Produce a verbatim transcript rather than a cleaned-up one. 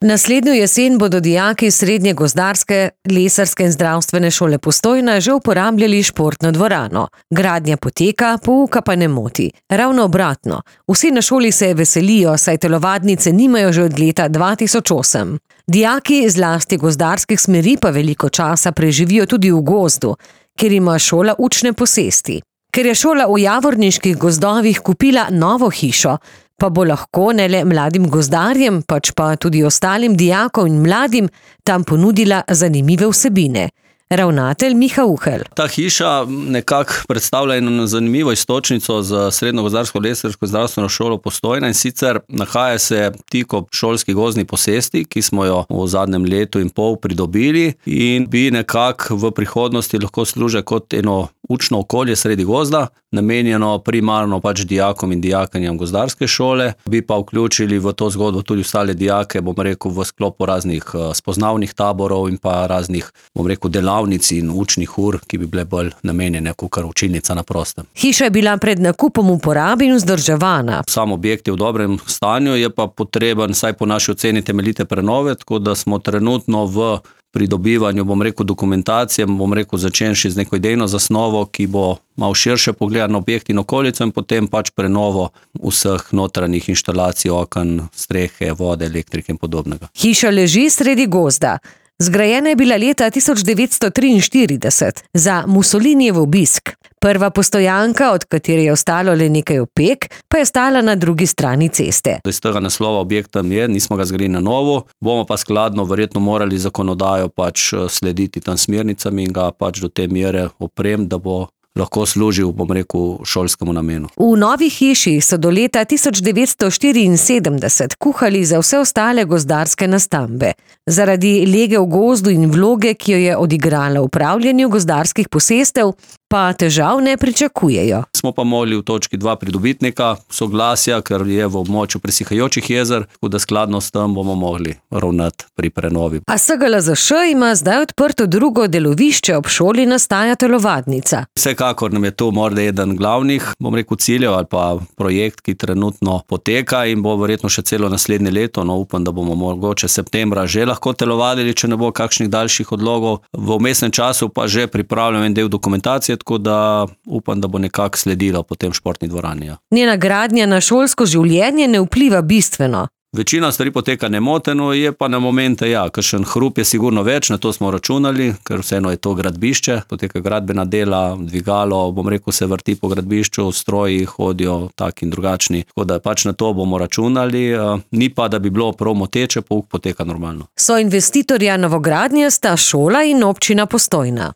Naslednjo jesen bodo dijaki Srednje gozdarske, lesarske in zdravstvene šole Postojna že uporabljali športno dvorano. Gradnja poteka, pouka pa ne moti. Ravno obratno. Vsi na šoli se veselijo, saj telovadnice nimajo že od leta dva tisoč osem. Dijaki zlasti gozdarskih smeri pa veliko časa preživijo tudi v gozdu, kjer ima šola učne posesti. Ker je šola v Javorniških gozdovih kupila novo hišo, pa bo lahko ne le mladim gozdarjem, pač pa tudi ostalim dijakom in mladim tam ponudila zanimive vsebine. Ravnatelj Miha Uhelj. Ta hiša nekako predstavlja eno zanimivo iztočnico za Srednjo gozdarsko lesarsko zdravstveno šolo Postojna, in sicer nahaja se tik ob šolski gozdni posesti, ki smo jo v zadnjem letu in pol pridobili in bi nekako v prihodnosti lahko služila kot eno učno okolje sredi gozda, namenjeno primarno pač dijakom in dijakinjam gozdarske šole, bi pa vključili v to zgodbo tudi ostale dijake, bom rekel, v sklopu raznih spoznavnih taborov in pa raznih, bom rekel, delavnic in učnih ur, ki bi bile bolj namenjene kakor učilnica na prostem. Hiša je bila pred nakupom v uporabi in vzdrževana. Sam objekt je v dobrem stanju, je pa potreben, saj po naši oceni, temeljite prenove, tako da smo trenutno v pridobivanju, bom rekel, dokumentacije, bom rekel, začenši z neko idejno zasnovo, ki bo malo širše pogled na objekt in okolico, in potem pač prenovo vseh notranjih inštalacij, oken, strehe, vode, elektrike in podobnega. Hiša leži sredi gozda. Zgrajena je bila leta tisoč devetsto triinštirideset za Mussolinijev obisk. Prva postojanka, od katere je ostalo le nekaj opek, pa je stala na drugi strani ceste. Iz tega naslova objekta je, nismo ga zgradili na novo, bomo pa skladno verjetno morali zakonodajo pač slediti tam smernicam in ga pač do te mere oprem, da bo lahko služil, bom rekel, šolskemu namenu. V novi hiši so do leta tisoč devetsto štiriinsedemdeset kuhali za vse ostale gozdarske nastambe. Zaradi lege v gozdu in vloge, ki jo je odigrala v upravljanju gozdarskih posestev, pa težav ne pričakujejo. Smo pa mogli v točki dva pridobitnika soglasja, ker je v območju presihajočih jezer, tako da skladno s tem bomo mogli ravnati pri prenovi. A S G L Z Š ima zdaj odprto drugo delovišče, ob šoli nastaja telovadnica. Vsekakor nam je to morda eden glavnih, bom rekel, ciljev ali pa projekt, ki trenutno poteka in bo verjetno še celo naslednje leto. No, upam, da bomo mogoče septembra že lahko telovadili, če ne bo kakšnih daljših odlogov. V vmesnem času pa že pripravljam en del dokumentacije, tako da upam, da bo nekako sledilo potem športni dvorani. Njena gradnja na šolsko življenje ne vpliva bistveno. Večina stvari poteka nemoteno, je pa na momente, ja, kakšen hrup je sigurno več, na to smo računali, ker vseeno je to gradbišče, poteka gradbena dela, dvigalo, bom rekel, se vrti po gradbišču, stroji hodijo tak in drugačni, tako da pač na to bomo računali, ni pa, da bi bilo prav moteče, pouk poteka normalno. So investitorja novogradnje sta šola in občina Postojna.